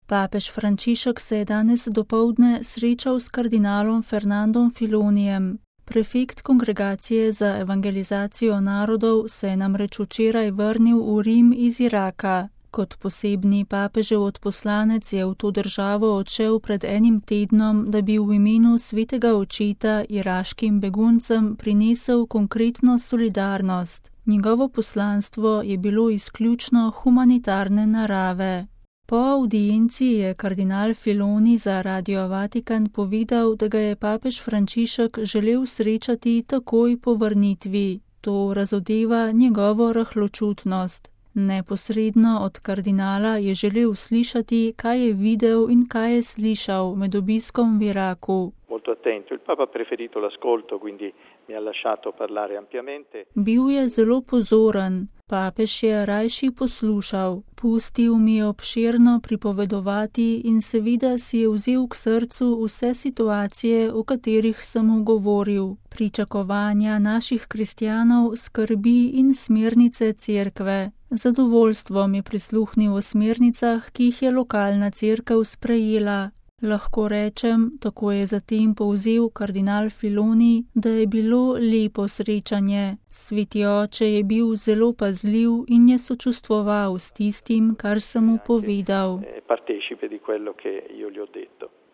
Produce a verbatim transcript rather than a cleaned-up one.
Papež Frančišek se je danes dopoldne srečal s kardinalom Fernandom Filonijem. Prefekt Kongregacije za evangelizacijo narodov se je namreč včeraj vrnil v Rim iz Iraka. Kot posebni papežev odposlanec je v to državo odšel pred enim tednom, da bi v imenu svetega očeta iraškim beguncem prinesel konkretno solidarnost. Njegovo poslanstvo je bilo izključno humanitarne narave. Po audienci je kardinal Filoni za Radio Vatikan povedal, da ga je papež Frančišek želel srečati takoj po vrnitvi. To razodeva njegovo rahločutnost. Neposredno od kardinala je želel slišati, kaj je videl in kaj je slišal med obiskom v Iraku. Bil je zelo pozoren. Papež je rajši poslušal, pustil mi je obširno pripovedovati in seveda si je vzel k srcu vse situacije, o katerih sem mu govoril, pričakovanja naših kristjanov, skrbi in smernice cerkve. Zadovoljstvom je prisluhnil o smernicah, ki jih je lokalna cerkev sprejela. Lahko rečem, tako je zatem povzel kardinal Filoni, da je bilo lepo srečanje. Sveti oče je bil zelo pazljiv in je sočustvoval s tistim, kar sem mu povedal.